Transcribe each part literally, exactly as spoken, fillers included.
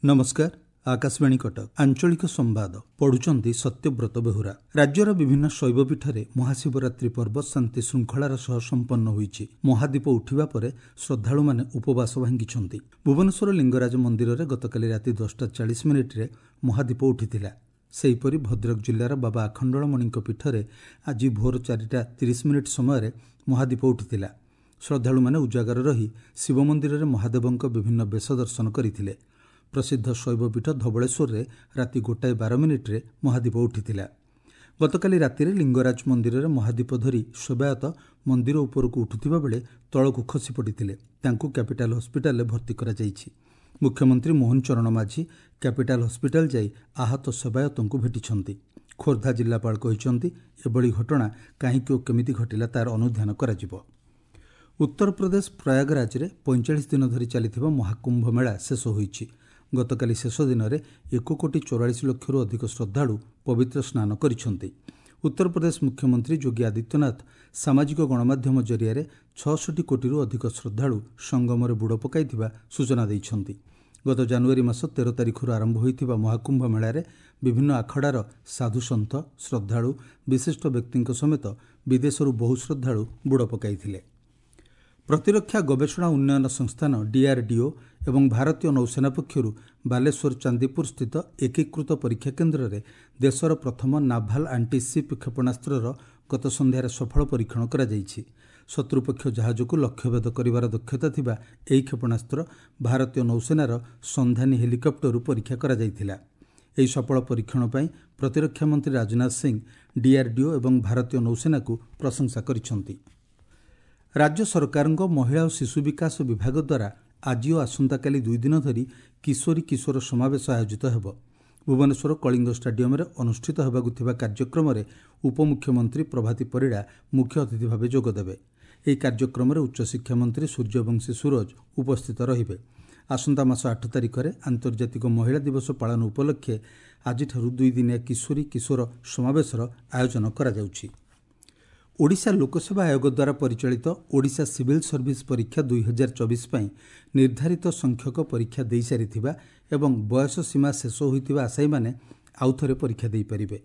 ନମସ୍କାର, ଆକାଶବାଣୀ କଟକ, ଆଞ୍ଚଳିକ ସମ୍ବାଦ ପଢୁଛନ୍ତି ସତ୍ୟବ୍ରତ ବେହୁରା। ରାଜ୍ୟର ବିଭିନ୍ନ ଶୈବପୀଠରେ ମହାଶିବରାତ୍ରି ପର୍ବ ଶାନ୍ତି ଶୃଙ୍ଖଳାର ସହ ସମ୍ପନ୍ନ ହୋଇଛି। ମହାଦୀପ ଉଠିବା ପରେ ଶ୍ରଦ୍ଧାଳୁମାନେ ଉପବାସ ଭାଙ୍ଗିଛନ୍ତି। ଭୁବନେଶ୍ୱର ଲିଙ୍ଗରାଜ ମନ୍ଦିରରେ ଗତକାଲି ରାତି ଦଶଟା ଚାଳିଶ ମିନିଟ୍ରେ ମହାଦୀପ ଉଠିଥିଲା। ସେହିପରି ଭଦ୍ରକ ଜିଲ୍ଲାର ବାବା ଆଖଣ୍ଡଳମଣିଙ୍କ ପୀଠରେ ଆଜି ଭୋର ଚାରିଟା ତିରିଶ ମିନିଟ୍ ସମୟରେ ମହାଦୀପ ଉଠିଥିଲା। ଶ୍ରଦ୍ଧାଳୁମାନେ ଉଜାଗର ରହି ଶିବ ମନ୍ଦିରରେ ମହାଦେବଙ୍କ ବିଭିନ୍ନ ବେଶ ଦର୍ଶନ କରିଥିଲେ। ପ୍ରସିଦ୍ଧ ଶୈବପୀଠ ଧବଳେଶ୍ୱରରେ ରାତି ଗୋଟାଏ ବାର ମିନିଟ୍ରେ ମହାଦୀପ ଉଠିଥିଲା। ଗତକାଲି ରାତିରେ ଲିଙ୍ଗରାଜ ମନ୍ଦିରରେ ମହାଦୀପ ଧରି ସେବାୟତ ମନ୍ଦିର ଉପରକୁ ଉଠୁଥିବା ବେଳେ ତଳକୁ ଖସି ପଡ଼ିଥିଲେ। ତାଙ୍କୁ କ୍ୟାପିଟାଲ ହସ୍ପିଟାଲରେ ଭର୍ତ୍ତି କରାଯାଇଛି। ମୁଖ୍ୟମନ୍ତ୍ରୀ ମୋହନ ଚରଣ ମାଝୀ କ୍ୟାପିଟାଲ ହସ୍ପିଟାଲ ଯାଇ ଆହତ ସେବାୟତଙ୍କୁ ଭେଟିଛନ୍ତି। ଖୋର୍ଦ୍ଧା ଜିଲ୍ଲାପାଳ କହିଛନ୍ତି, ଏଭଳି ଘଟଣା କାହିଁକି ଓ କେମିତି ଘଟିଲା ତାର ଅନୁଧ୍ୟାନ କରାଯିବ। ଉତ୍ତରପ୍ରଦେଶ ପ୍ରୟାଗରାଜରେ ପଇଁଚାଳିଶ ଦିନ ଧରି ଚାଲିଥିବା ମହାକୁମ୍ଭ ମେଳା ଶେଷ ହୋଇଛି। ଗତକାଲି ଶେଷ ଦିନରେ ଏକ କୋଟି ଚଉରାଳିଶ ଲକ୍ଷରୁ ଅଧିକ ଶ୍ରଦ୍ଧାଳୁ ପବିତ୍ର ସ୍ନାନ କରିଛନ୍ତି। ଉତ୍ତରପ୍ରଦେଶ ମୁଖ୍ୟମନ୍ତ୍ରୀ ଯୋଗୀ ଆଦିତ୍ୟନାଥ ସାମାଜିକ ଗଣମାଧ୍ୟମ ଜରିଆରେ ଛଅଷଠି କୋଟିରୁ ଅଧିକ ଶ୍ରଦ୍ଧାଳୁ ସଙ୍ଗମରେ ବୁଡ଼ ପକାଇଥିବା ସୂଚନା ଦେଇଛନ୍ତି। ଗତ ଜାନୁଆରୀ ମାସ ତେର ତାରିଖରୁ ଆରମ୍ଭ ହୋଇଥିବା ମହାକୁମ୍ଭ ମେଳାରେ ବିଭିନ୍ନ ଆଖଡ଼ାର ସାଧୁସନ୍ଥ, ଶ୍ରଦ୍ଧାଳୁ, ବିଶିଷ୍ଟ ବ୍ୟକ୍ତିଙ୍କ ସମେତ ବିଦେଶରୁ ବହୁ ଶ୍ରଦ୍ଧାଳୁ ବୁଡ଼ ପକାଇଥିଲେ। ପ୍ରତିରକ୍ଷା ଗବେଷଣା ଉନ୍ନୟନ ସଂସ୍ଥାନ ଡିଆର୍ଡିଓ ଏବଂ ଭାରତୀୟ ନୌସେନା ପକ୍ଷରୁ ବାଲେଶ୍ୱର ଚାନ୍ଦିପୁର ସ୍ଥିତ ଏକୀକୃତ ପରୀକ୍ଷା କେନ୍ଦ୍ରରେ ଦେଶର ପ୍ରଥମ ନାଭାଲ ଆଣ୍ଟିସିପ୍ କ୍ଷେପଣାସ୍ତ୍ରର ଗତ ସନ୍ଧ୍ୟାରେ ସଫଳ ପରୀକ୍ଷଣ କରାଯାଇଛି। ଶତ୍ରୁପକ୍ଷ ଜାହାଜକୁ ଲକ୍ଷ୍ୟଭେଦ କରିବାର ଦକ୍ଷତା ଥିବା ଏହି କ୍ଷେପଣାସ୍ତ୍ର ଭାରତୀୟ ନୌସେନାର ସନ୍ଧାନୀ ହେଲିକପ୍ଟରରୁ ପରୀକ୍ଷା କରାଯାଇଥିଲା। ଏହି ସଫଳ ପରୀକ୍ଷଣ ପାଇଁ ପ୍ରତିରକ୍ଷା ମନ୍ତ୍ରୀ ରାଜନାଥ ସିଂ ଡିଆର୍ଡିଓ ଏବଂ ଭାରତୀୟ ନୌସେନାକୁ ପ୍ରଶଂସା କରିଛନ୍ତି। ରାଜ୍ୟ ସରକାରଙ୍କ ମହିଳା ଓ ଶିଶୁ ବିକାଶ ବିଭାଗ ଦ୍ୱାରା ଆଜି ଓ ଆସନ୍ତାକାଲି ଦୁଇ ଦିନ ଧରି କିଶୋରୀ କିଶୋର ସମାବେଶ ଆୟୋଜିତ ହେବ। ଭୁବନେଶ୍ୱର କଳିଙ୍ଗ ଷ୍ଟାଡିୟମରେ ଅନୁଷ୍ଠିତ ହେବାକୁ ଥିବା କାର୍ଯ୍ୟକ୍ରମରେ ଉପମୁଖ୍ୟମନ୍ତ୍ରୀ ପ୍ରଭାତୀ ପରିଡ଼ା ମୁଖ୍ୟ ଅତିଥି ଭାବେ ଯୋଗଦେବେ। ଏହି କାର୍ଯ୍ୟକ୍ରମରେ ଉଚ୍ଚଶିକ୍ଷା ମନ୍ତ୍ରୀ ସୂର୍ଯ୍ୟବଂଶୀ ସୂରଜ ଉପସ୍ଥିତ ରହିବେ। ଆସନ୍ତା ମାସ ଆଠ ତାରିଖରେ ଆନ୍ତର୍ଜାତିକ ମହିଳା ଦିବସ ପାଳନ ଉପଲକ୍ଷେ ଆଜିଠାରୁ ଦୁଇଦିନିଆ କିଶୋରୀ କିଶୋର ସମାବେଶର ଆୟୋଜନ କରାଯାଉଛି। ଓଡ଼ିଶା ଲୋକସେବା ଆୟୋଗ ଦ୍ୱାରା ପରିଚାଳିତ ଓଡ଼ିଶା ସିଭିଲ୍ ସର୍ଭିସ୍ ପରୀକ୍ଷା ଦୁଇ ହଜାର ଚବିଶ ପାଇଁ ନିର୍ଦ୍ଧାରିତ ସଂଖ୍ୟକ ପରୀକ୍ଷା ଦେଇସାରିଥିବା ଏବଂ ବୟସ ସୀମା ଶେଷ ହୋଇଥିବା ଆଶାୟୀମାନେ ଆଉଥରେ ପରୀକ୍ଷା ଦେଇପାରିବେ।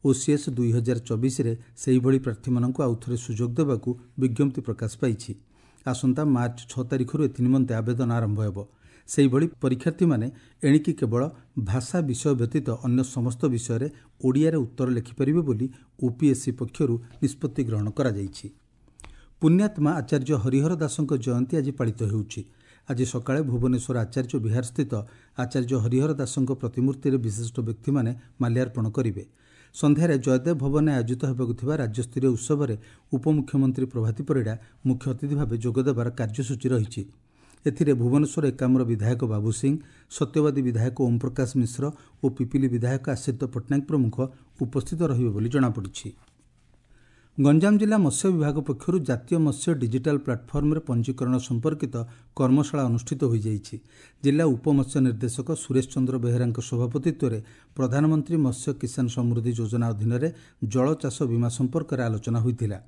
ଓସିଏସ୍ ଦୁଇ ହଜାର ଚବିଶରେ ସେହିଭଳି ପ୍ରାର୍ଥୀମାନଙ୍କୁ ଆଉଥରେ ସୁଯୋଗ ଦେବାକୁ ବିଜ୍ଞପ୍ତି ପ୍ରକାଶ ପାଇଛି। ଆସନ୍ତା ମାର୍ଚ୍ଚ ଛଅ ତାରିଖରୁ ଏଥିନିମନ୍ତେ ଆବେଦନ ଆରମ୍ଭ ହେବ। ସେହିଭଳି ପରୀକ୍ଷାର୍ଥୀମାନେ ଏଣିକି କେବଳ ଭାଷା ବିଷୟ ବ୍ୟତୀତ ଅନ୍ୟ ସମସ୍ତ ବିଷୟରେ ଓଡ଼ିଆରେ ଉତ୍ତର ଲେଖିପାରିବେ ବୋଲି ଓପିଏସ୍ସି ପକ୍ଷରୁ ନିଷ୍ପତ୍ତି ଗ୍ରହଣ କରାଯାଇଛି। ପୁଣ୍ୟାତ୍ମା ଆଚାର୍ଯ୍ୟ ହରିହର ଦାସଙ୍କ ଜୟନ୍ତୀ ଆଜି ପାଳିତ ହେଉଛି। ଆଜି ସକାଳେ ଭୁବନେଶ୍ୱର ଆଚାର୍ଯ୍ୟ ବିହାରସ୍ଥିତ ଆଚାର୍ଯ୍ୟ ହରିହର ଦାସଙ୍କ ପ୍ରତିମୂର୍ତ୍ତିରେ ବିଶିଷ୍ଟ ବ୍ୟକ୍ତିମାନେ ମାଲ୍ୟାର୍ପଣ କରିବେ। ସନ୍ଧ୍ୟାରେ ଜୟଦେବ ଭବନରେ ଆୟୋଜିତ ହେବାକୁ ଥିବା ରାଜ୍ୟସ୍ତରୀୟ ଉତ୍ସବରେ ଉପମୁଖ୍ୟମନ୍ତ୍ରୀ ପ୍ରଭାତୀ ପରିଡ଼ା ମୁଖ୍ୟ ଅତିଥି ଭାବେ ଯୋଗଦେବାର କାର୍ଯ୍ୟସୂଚୀ ରହିଛି। ଏଥିରେ ଭୁବନେଶ୍ୱର ଏକାମ୍ର ବିଧାୟକ ବାବୁ ସିଂ, ସତ୍ୟବାଦୀ ବିଧାୟକ ଓମ୍ ପ୍ରକାଶ ମିଶ୍ର ଓ ପିପିଲି ବିଧାୟକ ଆଶ୍ରିତ ପଟ୍ଟନାୟକ ପ୍ରମୁଖ ଉପସ୍ଥିତ ରହିବେ ବୋଲି ଜଣାପଡ଼ିଛି। ଗଞ୍ଜାମ ଜିଲ୍ଲା ମତ୍ସ୍ୟ ବିଭାଗ ପକ୍ଷରୁ ଜାତୀୟ ମତ୍ସ୍ୟ ଡିଜିଟାଲ ପ୍ଲାଟଫର୍ମରେ ପଞ୍ଜୀକରଣ ସମ୍ପର୍କିତ କର୍ମଶାଳା ଅନୁଷ୍ଠିତ ହୋଇଯାଇଛି। ଜିଲ୍ଲା ଉପମତ୍ସ୍ୟ ନିର୍ଦ୍ଦେଶକ ସୁରେଶ ଚନ୍ଦ୍ର ବେହେରାଙ୍କ ସଭାପତିତ୍ୱରେ ପ୍ରଧାନମନ୍ତ୍ରୀ ମତ୍ସ୍ୟ କିଷାନ ସମୃଦ୍ଧି ଯୋଜନା ଅଧୀନରେ ଜଳ ଚାଷ ବୀମା ସମ୍ପର୍କରେ ଆଲୋଚନା ହୋଇଥିଲା।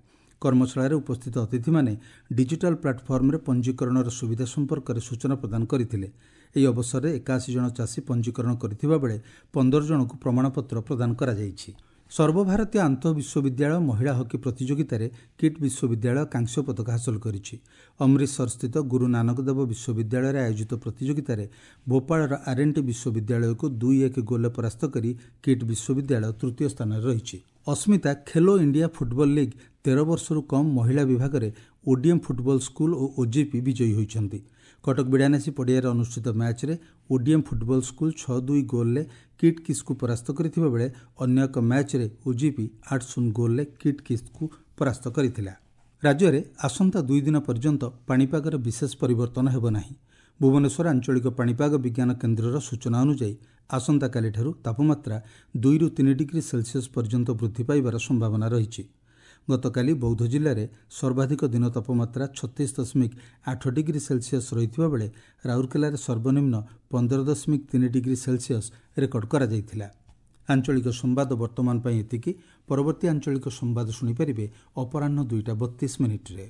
କର୍ମଶାଳାରେ ଉପସ୍ଥିତ ଅତିଥିମାନେ ଡିଜିଟାଲ ପ୍ଲାଟଫର୍ମରେ ପଞ୍ଜୀକରଣର ସୁବିଧା ସମ୍ପର୍କରେ ସୂଚନା ପ୍ରଦାନ କରିଥିଲେ। ଏହି ଅବସରରେ ଏକାଅଶୀ ଜଣ ଚାଷୀ ପଞ୍ଜୀକରଣ କରିଥିବା ବେଳେ ପନ୍ଦର ଜଣଙ୍କୁ ପ୍ରମାଣପତ୍ର ପ୍ରଦାନ କରାଯାଇଛି। ସର୍ବଭାରତୀୟ ଆନ୍ତଃ ବିଶ୍ୱବିଦ୍ୟାଳୟ ମହିଳା ହକି ପ୍ରତିଯୋଗିତାରେ କିଟ୍ ବିଶ୍ୱବିଦ୍ୟାଳୟ କାଂସ୍ୟ ପଦକ ହାସଲ କରିଛି। ଅମୃତସରସ୍ଥିତ ଗୁରୁ ନାନକ ଦେବ ବିଶ୍ୱବିଦ୍ୟାଳୟରେ ଆୟୋଜିତ ପ୍ରତିଯୋଗିତାରେ ଭୋପାଳର ଆର୍ଏନ୍ଟି ବିଶ୍ୱବିଦ୍ୟାଳୟକୁ ଦୁଇ ଏକ ଗୋଲରେ ପରାସ୍ତ କରି କିଟ୍ ବିଶ୍ୱବିଦ୍ୟାଳୟ ତୃତୀୟ ସ୍ଥାନରେ ରହିଛି। ଅସ୍ମିତା ଖେଲୋ ଇଣ୍ଡିଆ ଫୁଟବଲ ଲିଗ୍ ତେର ବର୍ଷରୁ କମ୍ ମହିଳା ବିଭାଗରେ ଓଡିଏମ୍ ଫୁଟବଲ ସ୍କୁଲ ଓ ଓଜେପି ବିଜୟୀ ହୋଇଛନ୍ତି। କଟକ ବିଡ଼ାନାସୀ ପଡ଼ିଆରେ ଅନୁଷ୍ଠିତ ମ୍ୟାଚ୍ରେ ଓଡିଏମ୍ ଫୁଟବଲ ସ୍କୁଲ ଛଅ ଦୁଇ ଗୋଲ୍ରେ କିଟ୍ କିସ୍କୁ ପରାସ୍ତ କରିଥିବା ବେଳେ ଅନ୍ୟ ଏକ ମ୍ୟାଚ୍ରେ ଓଜିପି ଆଠ ଶୂନ ଗୋଲ୍ରେ କିଟ୍ କିସ୍କୁ ପରାସ୍ତ କରିଥିଲା। ରାଜ୍ୟରେ ଆସନ୍ତା ଦୁଇ ଦିନ ପର୍ଯ୍ୟନ୍ତ ପାଣିପାଗରେ ବିଶେଷ ପରିବର୍ତ୍ତନ ହେବ ନାହିଁ। ଭୁବନେଶ୍ୱର ଆଞ୍ଚଳିକ ପାଣିପାଗ ବିଜ୍ଞାନ କେନ୍ଦ୍ରର ସୂଚନା ଅନୁଯାୟୀ ଆସନ୍ତାକାଲିଠାରୁ ତାପମାତ୍ରା ଦୁଇରୁ ତିନି ଡିଗ୍ରୀ ସେଲସିୟସ୍ ପର୍ଯ୍ୟନ୍ତ ବୃଦ୍ଧି ପାଇବାର ସମ୍ଭାବନା ରହିଛି। ଗତକାଲି ବୌଦ୍ଧ ଜିଲ୍ଲାରେ ସର୍ବାଧିକ ଦିନ ତାପମାତ୍ରା ଛତିଶ ଦଶମିକ ଆଠ ଡିଗ୍ରୀ ସେଲସିୟସ୍ ରହିଥିବା ବେଳେ ରାଉରକେଲାରେ ସର୍ବନିମ୍ନ ପନ୍ଦର ଦଶମିକ ତିନି ଡିଗ୍ରୀ ସେଲସିୟସ୍ ରେକର୍ଡ କରାଯାଇଥିଲା। ଆଞ୍ଚଳିକ ସମ୍ବାଦ ବର୍ତ୍ତମାନ ପାଇଁ ଏତିକି। ପରବର୍ତ୍ତୀ ଆଞ୍ଚଳିକ ସମ୍ବାଦ ଶୁଣିପାରିବେ ଅପରାହ୍ନ ଦୁଇଟା ବତିଶ ମିନିଟ୍ରେ।